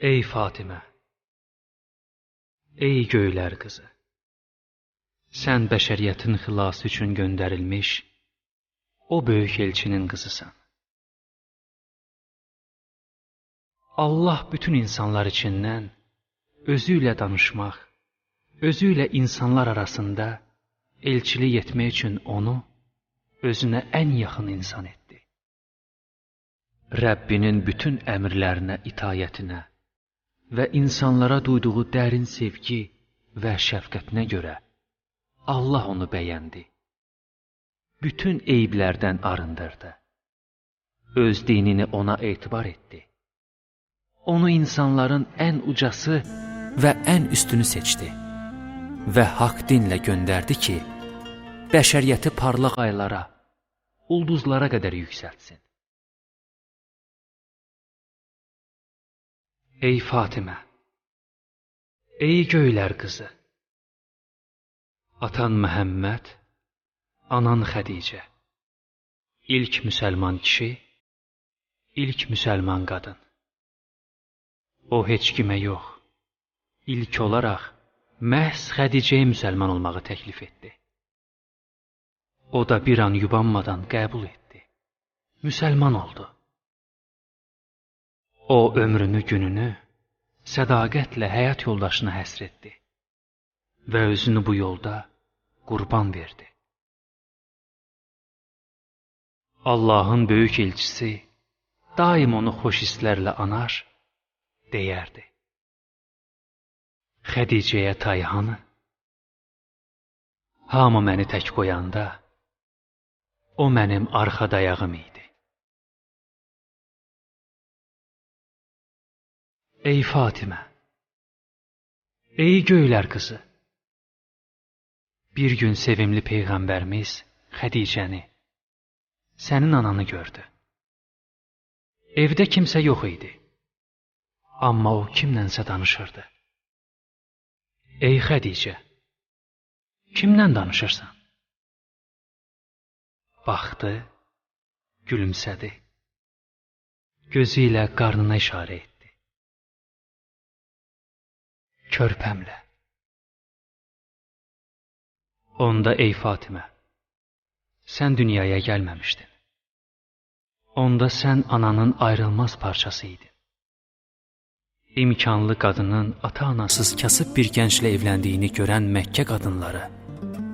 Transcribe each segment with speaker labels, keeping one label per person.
Speaker 1: Ey Fatimə, ey göylər qızı, sən bəşəriyyətin xilası üçün göndərilmiş o böyük elçinin qızısan. Allah bütün insanlar içindən özü ilə danışmaq, özü ilə insanlar arasında elçilik etmək üçün onu özünə ən yaxın insan etdi. Rəbbinin bütün əmrlərinə itayətinə və insanlara duyduğu dərin sevgi və şəfqətinə görə Allah onu bəyəndi. Bütün eyiblərdən arındırdı. Öz dinini ona etibar etdi. Onu insanların ən ucası və ən üstünü seçdi və haqq dinlə göndərdi ki, bəşəriyyəti parlaq aylara, ulduzlara qədər yüksəltsin. Ey Fatimə, ey göylər qızı, atan Məhəmməd, anan Xədicə, ilk müsəlman kişi, ilk müsəlman qadın. O heç kimə yox, ilk olaraq məhz Xədicəyə müsəlman olmağı təklif etdi. O da bir an yubanmadan qəbul etdi, müsəlman oldu. O ömrünü, gününü sədaqətlə həyat yoldaşına həsr etdi və özünü bu yolda qurban verdi. Allahın böyük elçisi daim onu xoş hisslərlə anar, deyərdi. Xədicəyə tay hanı? Hamı məni tək qoyanda, o mənim arxa dayağım idi. Ey Fatimə, ey göylər qızı, bir gün sevimli Peyğəmbərimiz Xədicəni, sənin ananı gördü. Evdə kimsə yox idi, amma o kimlənsə danışırdı. Ey Xədicə, kimlə danışırsan? Baxdı, gülümsədi, gözü ilə qarnına işarə etdi. Körpəmlə. Onda ey Fatimə, sən dünyaya gəlməmişdin. Onda sən ananın ayrılmaz parçası idin. İmkanlı qadının ata-anasız kasıb bir gənclə evləndiyini görən Məkkə qadınları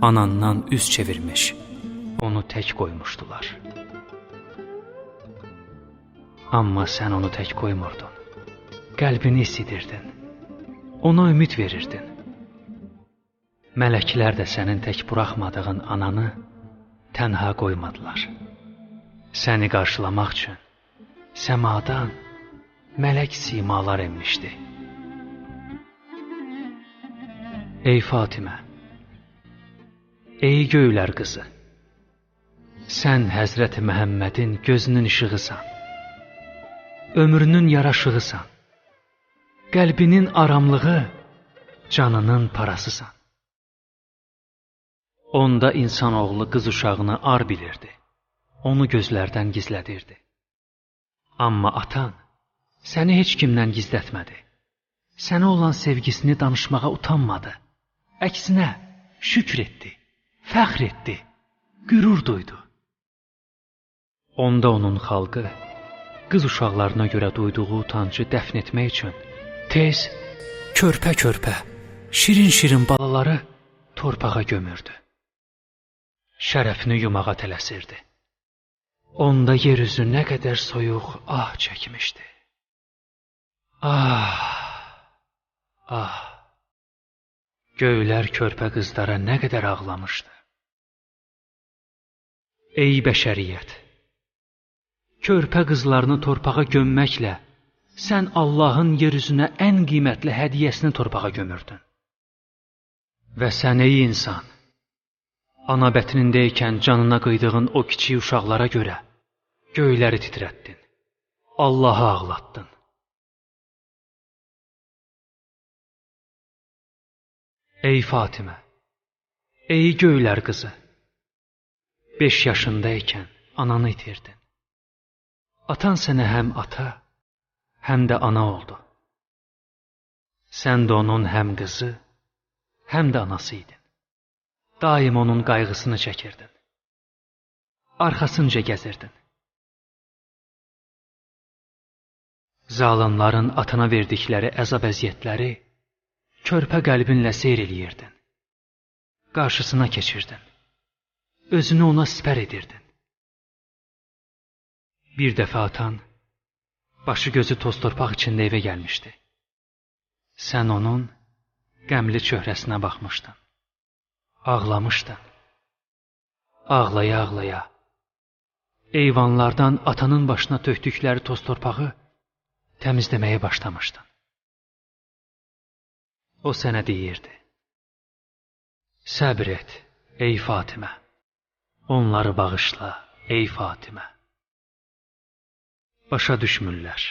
Speaker 1: anandan üz çevirmiş, onu tək qoymuşdular. Amma sən onu tək qoymurdun, qəlbini isidirdin, ona ümid verirdin. Mələklər də sənin tək buraxmadığın ananı tənha qoymadılar. Səni qarşılamaq üçün səmadan mələk simalar enmişdi. Ey Fatimə, ey göylər qızı, sən Həzrəti Məhəmmədin gözünün işığısan, ömrünün yaraşığısan, qəlbinin aramlığı, canının parasısan. Onda insanoğlu qız uşağını ar bilirdi, onu gözlərdən gizlədirdi. Amma atan səni heç kimdən gizlətmədi. Sənə olan sevgisini danışmağa utanmadı. Əksinə, şükr etdi, fəxr etdi, qürur duydu. Onda onun xalqı qız uşaqlarına görə duyduğu utancı dəfn etmək üçün tez, körpə-körpə, şirin-şirin balaları torpağa gömürdü. Şərəfini yumağa tələsirdi. Onda yeryüzü nə qədər soyuq ah çəkmişdi. Ah, ah, göylər körpə qızlara nə qədər ağlamışdı. Ey bəşəriyyət, körpə qızlarını torpağa gömməklə sən Allahın yeryüzünə ən qiymətli hədiyyəsini torpağa gömürdün. Və sən ey insan, ana bətnindəykən canına qıydığın o kiçik uşaqlara görə göyləri titrətdin, Allahı ağlatdın. Ey Fatimə, ey göylər qızı, 5 yaşındaykən ananı itirdin. Atan sənə həm ata, həm də ana oldu. Sən də onun həm qızı, həm də anası idin. Daim onun qayğısını çəkirdin. Arxasınca gəzirdin. Zalimların atana verdikləri əzab-əziyyətləri körpə qəlbinlə seyr eləyirdin. Qarşısına keçirdin. Özünü ona sipər edirdin. Bir dəfə atan, başı gözü toz torpaq içində evə gəlmişdi. Sən onun qəmli çöhrəsinə baxmışdın. Ağlamışdın. Ağlaya-ağlaya, eyvanlardan atanın başına tökdükləri toz torpağı təmizləməyə başlamışdın. O sənə deyirdi: səbr et, ey Fatimə. Onları bağışla, ey Fatimə. Başa düşmürlər.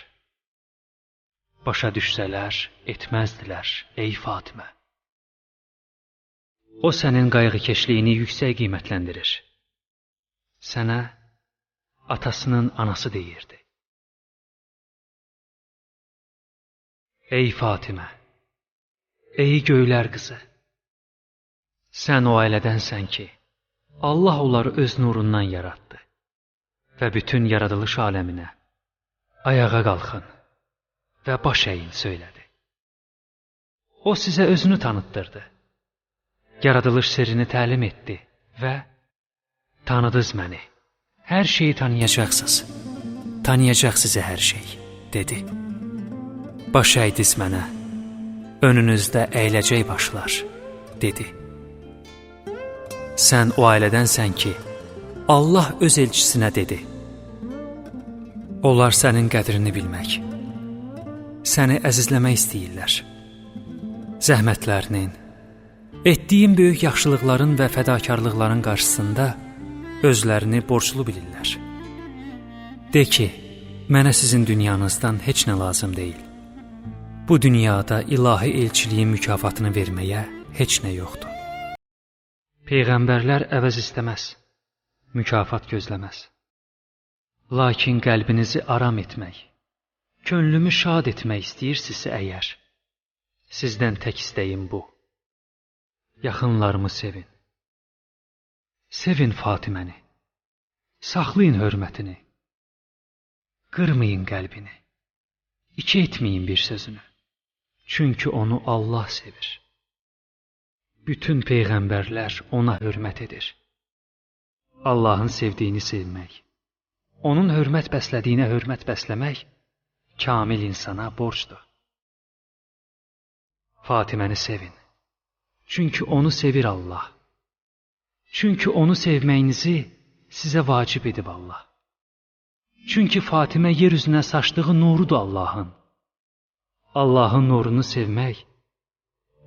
Speaker 1: Başa düşsələr, etməzdilər, ey Fatimə. O sənin qayğıkeşliyini yüksək qiymətləndirir. Sənə atasının anası deyirdi. Ey Fatimə, ey göylər qızı, sən o ailədənsən ki, Allah onları öz nurundan yaratdı və bütün yaradılış aləminə ayağa qalxın və baş əyin söylədi. O sizə özünü tanıtdırdı, yaradılış sirrini təlim etdi və tanıdınız məni, hər şeyi tanıyacaqsınız, tanıyacaq sizə hər şey, dedi. Baş əydiz mənə, önünüzdə əyiləcək başlar, dedi. Sən o ailədənsən ki, Allah öz elçisinə dedi. Onlar sənin qədrini bilmək, səni əzizləmək istəyirlər. Zəhmətlərinin, etdiyin böyük yaxşılıqların və fədakarlıqların qarşısında özlərini borclu bilirlər. De ki, mənə sizin dünyanızdan heç nə lazım deyil. Bu dünyada ilahi elçiliyin mükafatını verməyə heç nə yoxdur. Peyğəmbərlər əvəz istəməz, mükafat gözləməz. Lakin qəlbinizi aram etmək, könlümü şad etmək istəyirsinizsə əgər, sizdən tək istəyim bu. Yaxınlarımı sevin. Sevin Fatiməni. Saxlayın hörmətini. Qırmayın qəlbini. İki etməyin bir sözünü. Çünki onu Allah sevir. Bütün peyğəmbərlər ona hörmət edir. Allahın sevdiyini sevmək, onun hörmət bəslədiyinə hörmət bəsləmək kamil insana borcdur. Fatiməni sevin. Çünki onu sevir Allah. Çünki onu sevməyinizi sizə vacib edib Allah. Çünki Fatimə yer üzünə saçdığı nurudur Allahın. Allahın nurunu sevmək,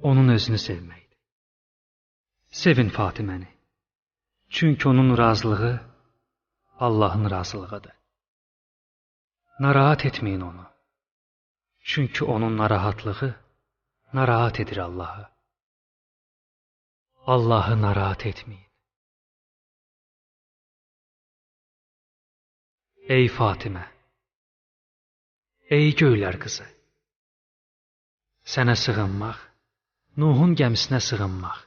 Speaker 1: onun özünü sevməkdir. Sevin Fatiməni. Çünki onun razılığı Allahın razılığıdır. Narahat etməyin onu. Çünki onun narahatlığı narahat edir Allahı. Allahı narahat etməyin. Ey Fatimə, ey göylər qızı, sənə sığınmaq, Nuhun gəmisinə sığınmaq,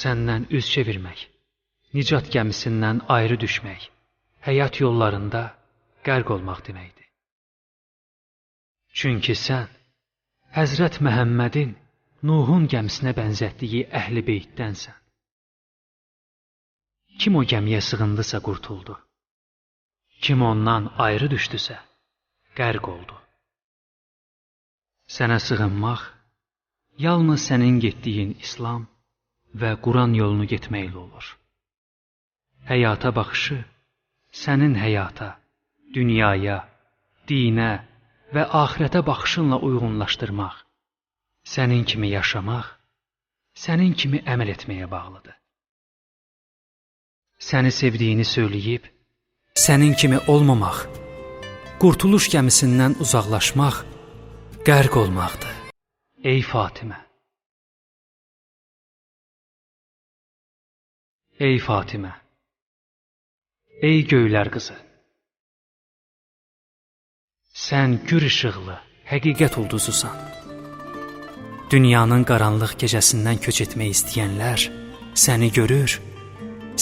Speaker 1: səndən üz çevirmək, nicat gəmisindən ayrı düşmək, həyat yollarında qərq olmaq deməkdir. Çünki sən Həzrət Məhəmmədin Nuhun gəmisinə bənzətdiyi əhl-i beytdənsən. Kim o gəmiyə sığındısa qurtuldu. Kim ondan ayrı düşdüsə, qərq oldu. Sənə sığınmaq, yalnız sənin getdiyin İslam və Quran yolunu getməklə olur. Həyata baxışı, sənin həyata, dünyaya, dinə və axirətə baxışınla uyğunlaşdırmaq, sənin kimi yaşamaq, sənin kimi əməl etməyə bağlıdır. Səni sevdiyini söyləyib, sənin kimi olmamaq, qurtuluş gəmisindən uzaqlaşmaq, qərq olmaqdır. Ey Fatimə! Ey Fatimə! Ey göylər qızı! Sən gür işıqlı, həqiqət ulduzusan. Dünyanın qaranlıq gecəsindən köç etmək istəyənlər səni görür,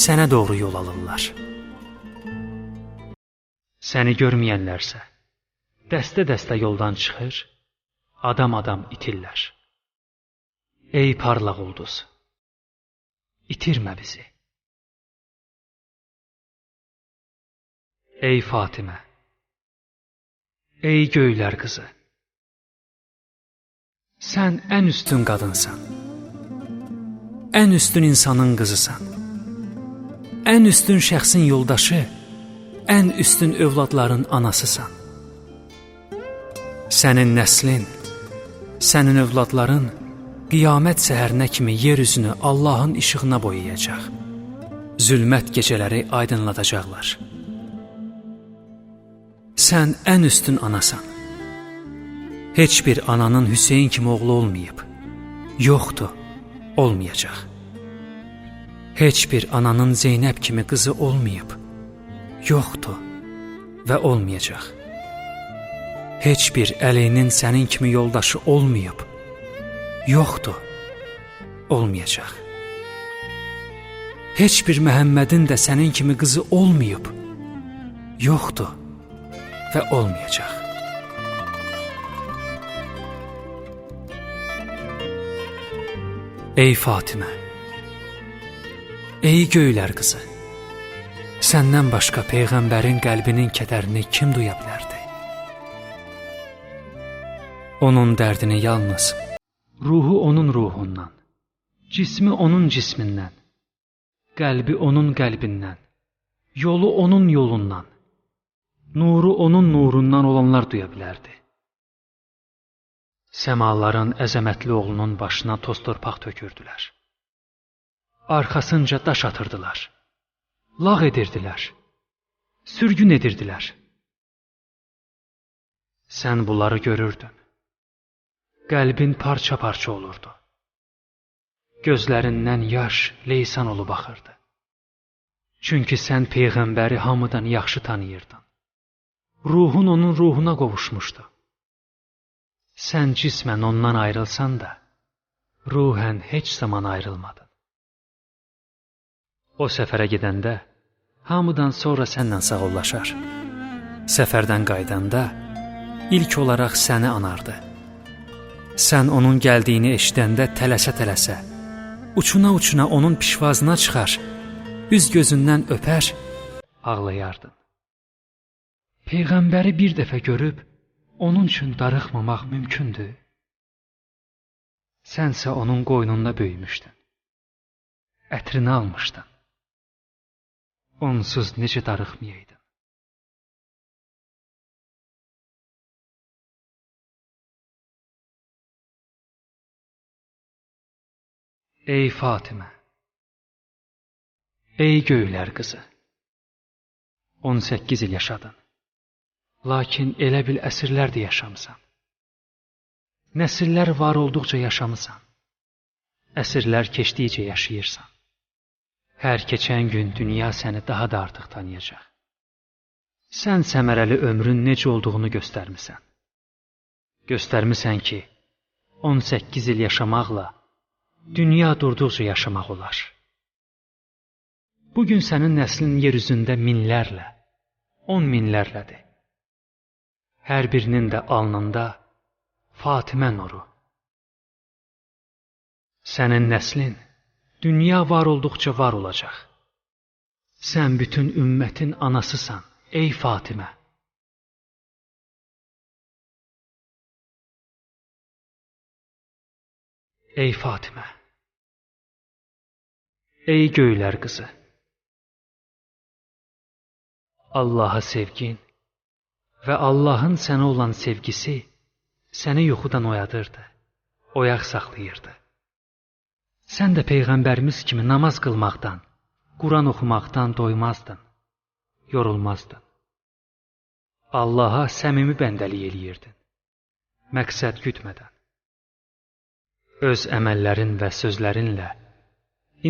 Speaker 1: sənə doğru yol alırlar. Səni görməyənlərsə dəstə-dəstə yoldan çıxır, adam-adam itirlər. Ey parlaq ulduz, itirmə bizi. Ey Fatimə, ey göylər qızı, sən ən üstün qadınsan, ən üstün insanın qızısan, ən üstün şəxsin yoldaşı, ən üstün övladların anasısan. Sənin nəslin, sənin övladların qiyamət səhərinə kimi yer üzünü Allahın işığına boyayacaq. Zülmət gecələri aydınladacaqlar. Sən ən üstün anasan. Heç bir ananın Hüseyin kimi oğlu olmayıb. Yoxdur, olmayacaq. Heç bir ananın Zeynəb kimi qızı olmayıb. Yoxdur və olmayacaq. Heç bir Əlinin sənin kimi yoldaşı olmayıb. Yoxdur, olmayacaq. Heç bir Məhəmmədin də sənin kimi qızı olmayıb. Yoxdur və olmayacaq. Ey Fatimə, ey göylər qızı, səndən başqa Peyğəmbərin qəlbinin kədərini kim duya bilərdi? Onun dərdini yalnız ruhu onun ruhundan, cismi onun cismindən, qəlbi onun qəlbindən, yolu onun yolundan, nuru onun nurundan olanlar duya bilərdi. Səmaların əzəmətli oğlunun başına toz torpaq tökürdülər. Arxasınca daş atırdılar, lağ edirdilər, sürgün edirdilər. Sən bunları görürdün. Qəlbin parça-parça olurdu. Gözlərindən yaş, leysan olub axırdı. Çünki sən Peyğəmbəri hamıdan yaxşı tanıyırdın. Ruhun onun ruhuna qovuşmuşdu. Sən cismən ondan ayrılsan da, ruhən heç zaman ayrılmadın. O səfərə gedəndə, hamıdan sonra sənlə sağollaşar. Səfərdən qaydanda, ilk olaraq səni anardı. Sən onun gəldiyini eşidəndə tələsə-tələsə, uçuna-uçuna onun pişvazına çıxar, üz gözündən öpər, ağlayardın. Peyğəmbəri bir dəfə görüb, onun üçün darıxmamaq mümkündür. Sənsə onun qoynunda böyümüşdün, ətrini almışdın. Onsuz necə darıxmayaydın? Ey Fatimə, ey göylər qızı, 18 il yaşadın, lakin elə bil əsrlər də yaşamısan. Nəsillər var olduqca yaşamısan, əsrlər keçdikcə yaşayırsan. Hər keçən gün dünya səni daha da artıq tanıyacaq. Sən səmərəli ömrün necə olduğunu göstərmisən. Göstərmisən ki, 18 il yaşamaqla dünya durduqca yaşamaq olar. Bugün sənin nəslin yer üzündə minlərlə, 10 minlərlədir. Hər birinin də alnında Fatimə nuru. Sənin nəslin dünya var olduqca var olacaq. Sən bütün ümmətin anasısan, ey Fatimə. Ey Fatimə, ey göylər qızı, Allaha sevgin və Allahın sənə olan sevgisi səni yuxudan oyadırdı, oyaq saxlayırdı. Sən də Peyğəmbərimiz kimi namaz qılmaqdan, Quran oxumaqdan doymazdın, yorulmazdın. Allaha səmimi bəndəlik eləyirdin, məqsəd gütmədən. Öz əməllərin və sözlərinlə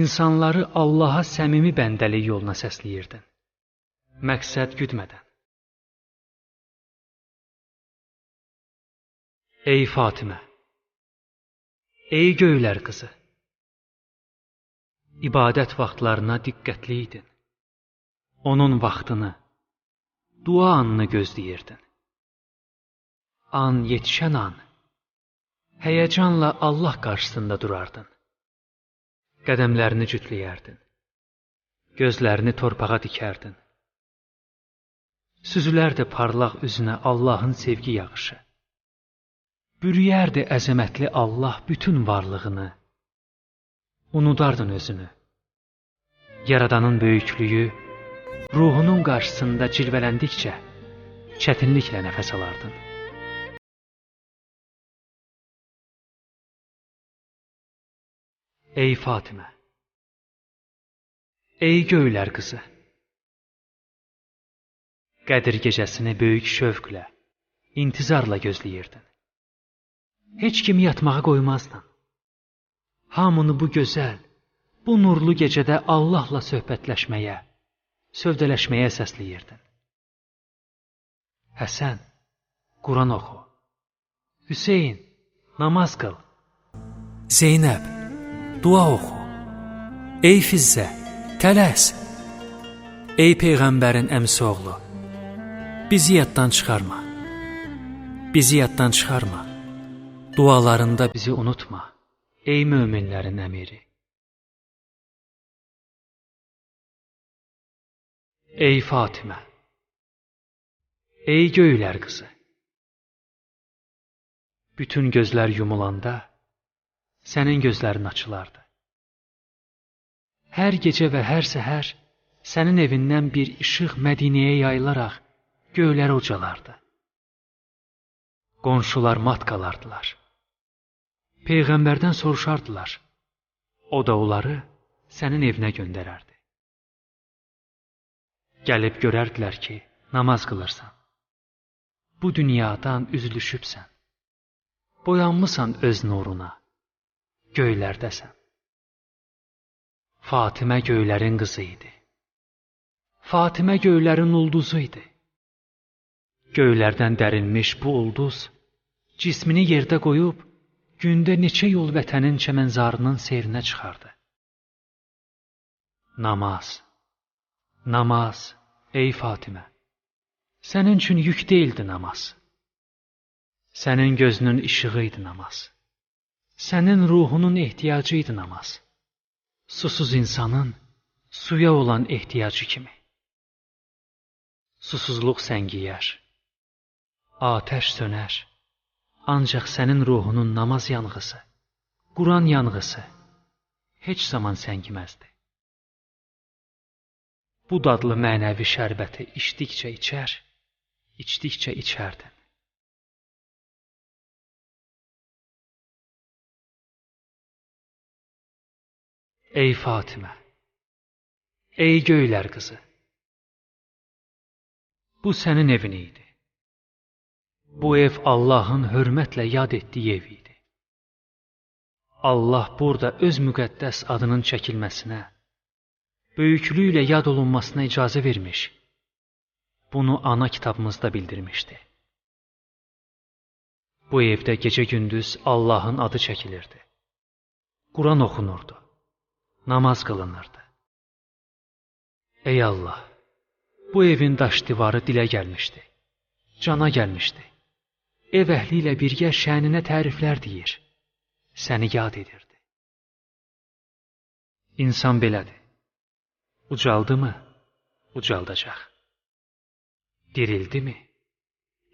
Speaker 1: insanları Allaha səmimi bəndəlik yoluna səsləyirdin, məqsəd gütmədən. Ey Fatimə, Ey göylər qızı, ibadət vaxtlarına diqqətli idin. Onun vaxtını, dua anını gözləyirdin. An yetişən an, həyəcanla Allah qarşısında durardın. Qədəmlərini cütləyərdin. Gözlərini torpağa dikərdin. Süzülərdi parlaq üzünə Allahın sevgi yağışı. Bürüyərdi əzəmətli Allah bütün varlığını. Unudardın özünü. Yaradanın böyüklüyü, ruhunun qarşısında cilvələndikcə çətinliklə nəfəs alardın. Ey Fatimə, ey göylər qızı, Qədir gecəsini böyük şövqlə, intizarla gözləyirdin. Heç kimi yatmağa qoymazdın. Hamını bu gözəl, bu nurlu gecədə Allahla söhbətləşməyə, sövdələşməyə səsləyirdin. Həsən, Quran oxu. Hüseyin, namaz qıl. Zeynəb, dua oxu. Ey Fizzə, tələs. Ey Peyğəmbərin əmsi oğlu, bizi yaddan çıxarma. Bizi yaddan çıxarma. Dualarında bizi unutma. Ey möminlərin əmiri. Ey Fatimə, ey göylər qızı, bütün gözlər yumulanda sənin gözlərin açılardı. Hər gecə və hər səhər sənin evindən bir işıq Mədinəyə yayılaraq göylərə ucalardı. Qonşular mat qalardılar. Peyğəmbərdən soruşardılar. O da onları sənin evinə göndərərdi. Gəlib görərdilər ki, namaz qılırsan. Bu dünyadan üzülüşübsən. Boyanmısan öz nuruna. Göylərdəsən. Fatimə göylərin qızı idi. Fatimə göylərin ulduzu idi. Göylərdən dərilmiş bu ulduz cismini yerdə qoyub gündə neçə yol vətənin çəmənzarının seyrinə çıxardı. Namaz, namaz, ey Fatimə, sənin üçün yük deyildi namaz. Sənin gözünün işığı idi namaz. Sənin ruhunun ehtiyacı idi namaz. Susuz insanın suya olan ehtiyacı kimi. Susuzluq səngiyər, atəş sönər. Ancaq sənin ruhunun namaz yanğısı, Quran yanğısı heç zaman səngiməzdi. Bu dadlı mənəvi şərbəti içdikcə içər, içdikcə içərdin. Ey Fatimə, ey göylər qızı, bu sənin evin idi. Bu ev Allahın hörmətlə yad etdiyi ev idi. Allah burada öz müqəddəs adının çəkilməsinə, böyüklüyülə yad olunmasına icazə vermiş. Bunu ana kitabımızda bildirmişdi. Bu evdə gecə-gündüz Allahın adı çəkilirdi. Quran oxunurdu. Namaz qılınırdı. Ey Allah, bu evin daş divarı dilə gəlmişdi. Cana gəlmişdi. Ev əhli ilə birgə şəninə təriflər deyir. Səni yad edirdi. İnsan belədir. Ucaldı mı? Ucaldacaq. Dirildi mi?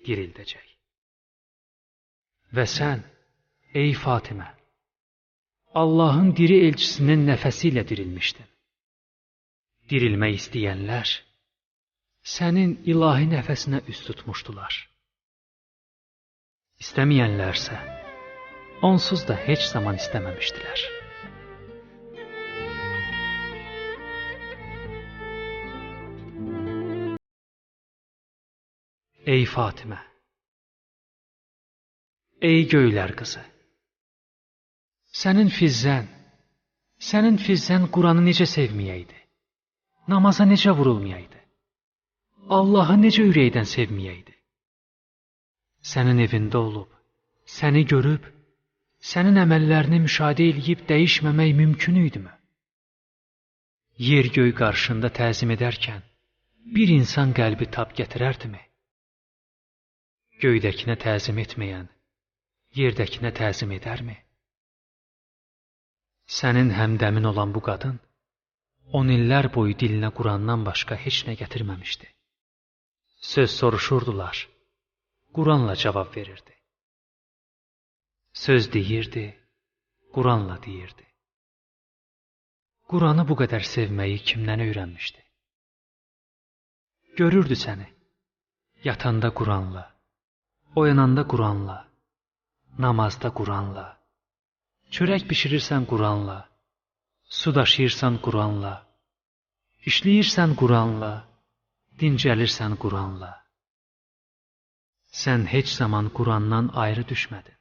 Speaker 1: Dirildəcək. Və sən, ey Fatimə, Allahın diri elçisinin nəfəsi ilə dirilmişdin. Dirilmək istəyənlər sənin ilahi nəfəsinə üst tutmuşdular. İstəməyənlərsə onsuz da heç zaman istəməmişdilər. Ey Fatimə, ey göylər qızı, sənin Fizzən Quranı necə sevməyəydi, namaza necə vurulmayaydı, Allahı necə ürəkdən sevməyəydi. Sənin evində olub, səni görüb, sənin əməllərini müşahidə edib dəyişməmək mümkün idimi? Yer göy qarşında təzim edərkən bir insan qəlbi tab gətirərdimi? Göydəkinə təzim etməyən yerdəkinə təzim edərmi? Sənin həmdəmin olan bu qadın 10 illər boyu dilinə Qurandan başqa heç nə gətirməmişdi. Söz soruşurdular, Quranla cavab verirdi. Söz deyirdi, Quranla deyirdi. Quranı bu qədər sevməyi kimdən öyrənmişdi? Görürdü səni, yatanda Quranla, oyananda Quranla, namazda Quranla, çörək bişirirsən Quranla, su daşıyırsan Quranla, işləyirsən Quranla, dincəlirsən Quranla. Sən heç zaman Qurandan ayrı düşmədin.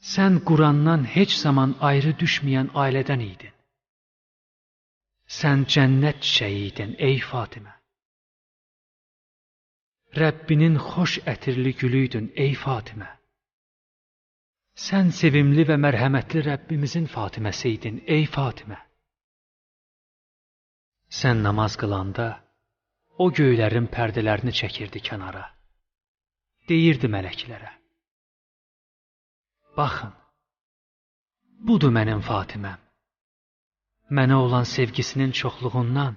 Speaker 1: Sən Qurandan heç zaman ayrı düşməyən ailədən idin. Sən cənnət çiçəyi idin, ey Fatimə. Rəbbinin xoş ətirli gülüydün, ey Fatimə. Sən sevimli və mərhəmətli Rəbbimizin Fatiməsi idin, ey Fatimə. Sən namaz qılanda o göylərin pərdələrini çəkirdi kənara. Deyirdi mələklərə, baxın, budur mənim Fatiməm. Mənə olan sevgisinin çoxluğundan,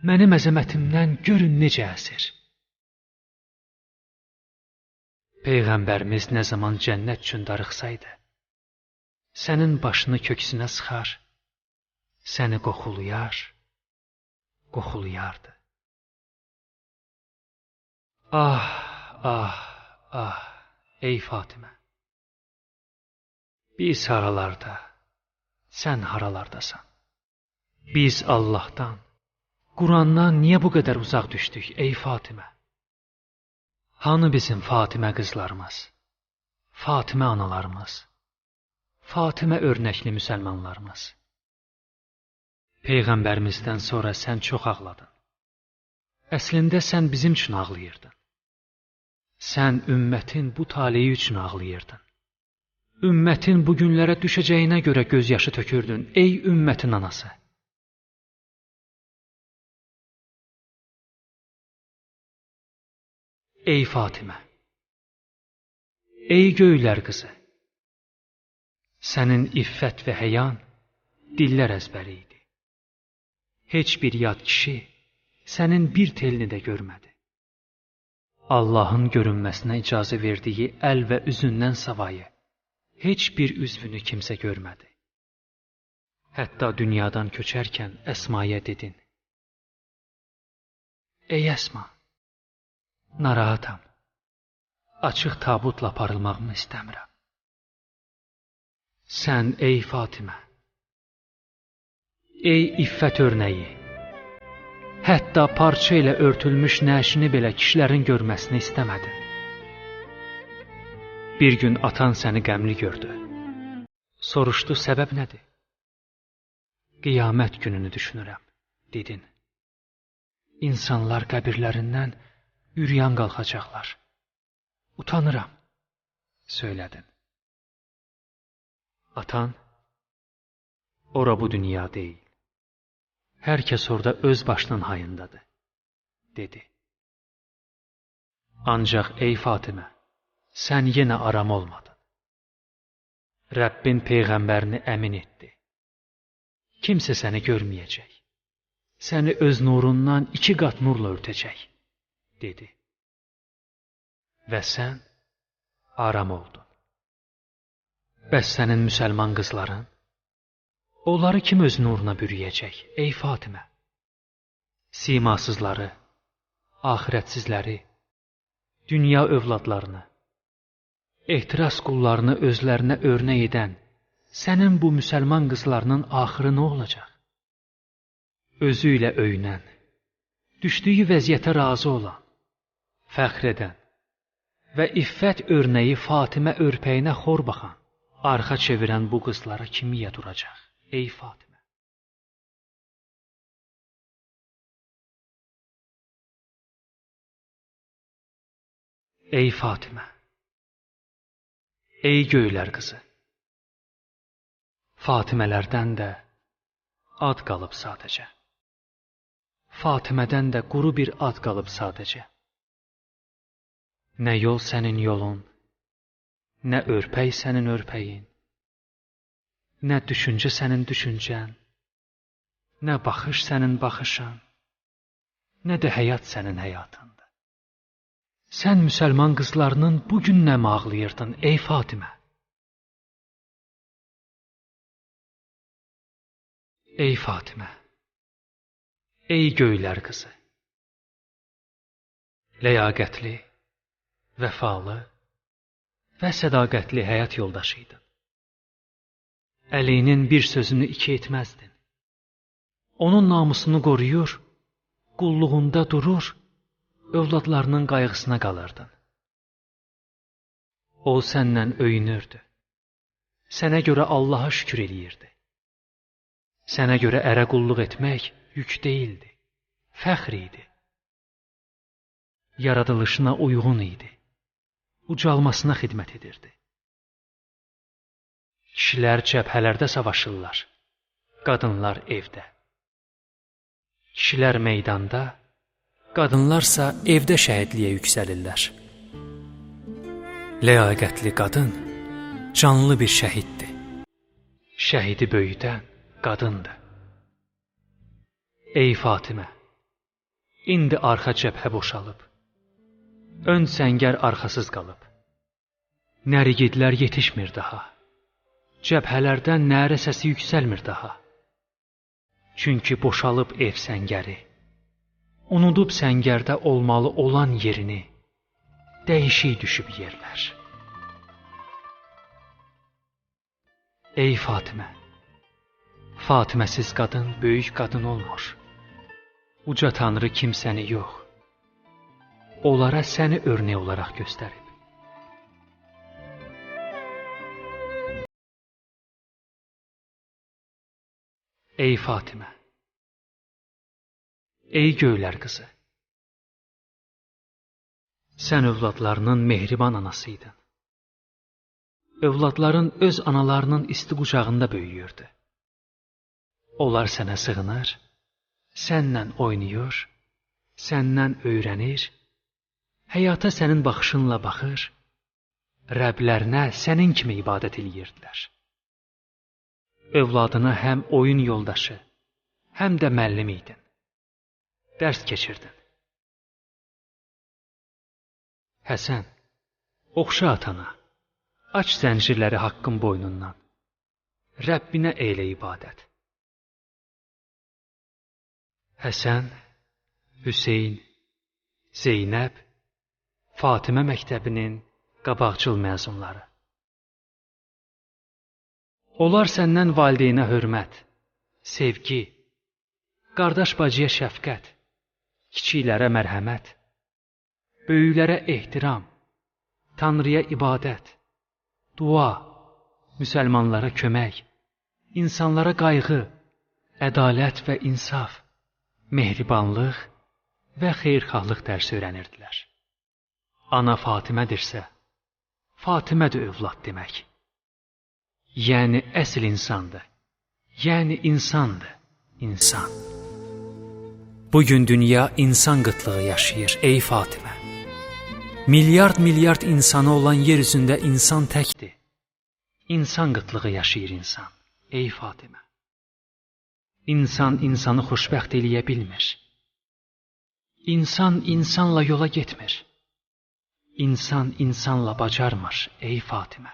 Speaker 1: mənim əzəmətimdən görün necə əsir. Peyğəmbərimiz nə zaman cənnət üçün darıxsaydı, sənin başını köksünə sıxar, səni qoxulayardı. Ah, ah, ah, ey Fatimə! Biz haralarda, sən haralardasan? Biz Allahdan, Qurandan niyə bu qədər uzaq düşdük, ey Fatimə? Hanı bizim Fatimə qızlarımız, Fatimə analarımız, Fatimə örnəkli müsəlmanlarımız? Peyğəmbərimizdən sonra sən çox ağladın. Əslində sən bizim üçün ağlayırdın. Sən ümmətin bu taleyi üçün ağlayırdın. Ümmətin bu günlərə düşəcəyinə görə göz yaşı tökürdün, ey ümmətin anası. Ey Fatimə, ey göylər qızı, sənin iffət və həyan dillər əzbəri idi. Heç bir yad kişi sənin bir telini də görmədi. Allahın görünməsinə icazə verdiyi əl və üzündən savayı heç bir üzvünü kimsə görmədi. Hətta dünyadan köçərkən Əsmaya dedin, ey Əsma, narahatam, açıq tabutla aparılmağımı istəmirəm. Sən ey Fatimə, ey iffət örnəyi, hətta parça ilə örtülmüş nəşini belə kişilərin görməsini istəmədin. Bir gün atan səni qəmli gördü. Soruşdu, səbəb nədir? Qiyamət gününü düşünürəm, dedin. İnsanlar qəbirlərindən üryan qalxacaqlar. Utanıram, söylədin. Atan, ora bu dünya deyil. Hər kəs orada öz başının hayındadır, dedi. Ancaq ey Fatimə, sən yenə aram olmadın. Rəbbin Peyğəmbərini əmin etdi. Kimsə səni görməyəcək. Səni öz nurundan 2 qat nurla örtəcək, dedi. Və sən aram oldun. Bəs sənin müsəlman qızların? Onları kim öz nuruna bürüyəcək, ey Fatimə? Simasızları, axirətsizləri, dünya övladlarını, ehtiras qullarını özlərinə örnək edən sənin bu müsəlman qızlarının axırı nə olacaq? Özü ilə öyünən, düşdüyü vəziyyətə razı olan, fəxr edən və iffət örnəyi Fatimə örpəyinə xor baxan, arxa çevirən bu qızlara kimiyyə duracaq, ey Fatimə? Ey Fatimə, Ey göylər qızı, Fatimələrdən də ad qalıb sadəcə. Fatimədən də quru bir ad qalıb sadəcə. Nə yol sənin yolun, nə örpək sənin örpəyin, nə düşüncə sənin düşüncən, nə baxış sənin baxışın, nə də həyat sənin həyatındır. Sən müsəlman qızlarının bugün nə ağlayırdın, ey Fatimə? Ey Fatimə, ey göylər qızı, ləyaqətli, vəfalı və sədaqətli həyat yoldaşıydın. Əlinin bir sözünü iki etməzdin. Onun namusunu qoruyur, qulluğunda durur, övladlarının qayğısına qalırdın. O səndən öyünürdü. Sənə görə Allaha şükür eləyirdi. Sənə görə ərə qulluq etmək yük deyildi, fəxr idi. Yaradılışına uyğun idi, ucalmasına xidmət edirdi. Kişilər cəbhələrdə savaşırlar, qadınlar evdə. Kişilər meydanda, qadınlarsa evdə şəhidliyə yüksəlirlər. Ləyaqətli qadın canlı bir şəhiddir. Şəhidi böyüdən qadındır. Ey Fatimə, indi arxa cəbhə boşalıb, ön səngər arxasız qalıb. Nərigidlər yetişmir daha, cəbhələrdən nərə səsi yüksəlmir daha. Çünki boşalıb ev səngəri, unudub səngərdə olmalı olan yerini, dəyişik düşüb yerlər. Ey Fatimə, Fatiməsiz qadın böyük qadın olmur. Uca Tanrı kimsəni yox, onlara səni örnək olaraq göstərib. Ey Fatimə, ey göylər qızı, sən övladlarının mehriban anasıydın. Övladların öz analarının isti qucağında böyüyürdü. Onlar sənə sığınır, səndən oynayır, səndən öyrənir, həyata sənin baxışınla baxır, Rəblərinə sənin kimi ibadət eləyirdilər. Övladına həm oyun yoldaşı, həm də müəllim idin. Dərs keçirdin. Həsən, oxşa atana, aç zəncirləri haqqın boynundan, Rəbbinə eylə ibadət. Həsən, Hüseyn, Zeynəb, Fatimə məktəbinin qabaqcıl məzunları. Onlar səndən valideynə hörmət, sevgi, qardaş bacıya şəfqət, kiçiklərə mərhəmət, böyüklərə ehtiram, Tanrıya ibadət, dua, müsəlmanlara kömək, insanlara qayğı, ədalət və insaf, mehribanlıq və xeyirxahlıq dərsi öyrənirdilər. Ana Fatimədirsə, Fatimədir övlad demək. Yəni əsl insandır, yəni insandır, insan. Bugün dünya insan qıtlığı yaşayır, ey Fatimə. Milyard insanı olan yer üzündə insan təkdir. İnsan qıtlığı yaşayır insan, ey Fatimə. İnsan insanı xoşbəxt eləyə bilmir. İnsan insanla yola getmir. İnsan insanla bacarmır, ey Fatimə.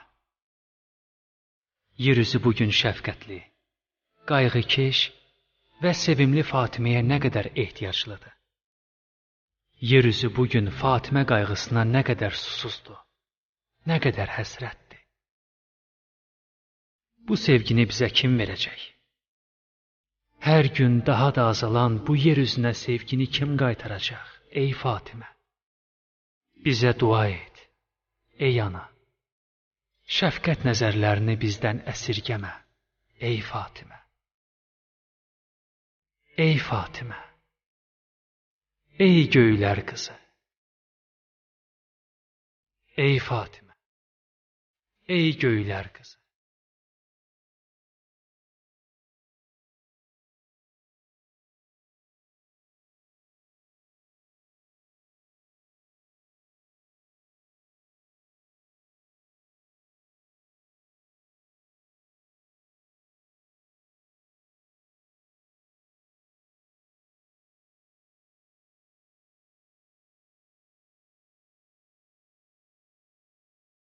Speaker 1: Yer üzü bugün şəfqətli, qayğıkeş və sevimli Fatiməyə nə qədər ehtiyaclıdır. Yer üzü bugün Fatimə qayğısına nə qədər susuzdur, nə qədər həsrətdir. Bu sevgini bizə kim verəcək? Hər gün daha da azalan bu yer üzünə sevgini kim qaytaracaq, ey Fatimə? Bizə dua et, ey ana. Şəfqət nəzərlərini bizdən əsirgəmə, ey Fatimə. Ey Fatimə, ey göylər qızı. Ey Fatimə, Ey göylər qızı.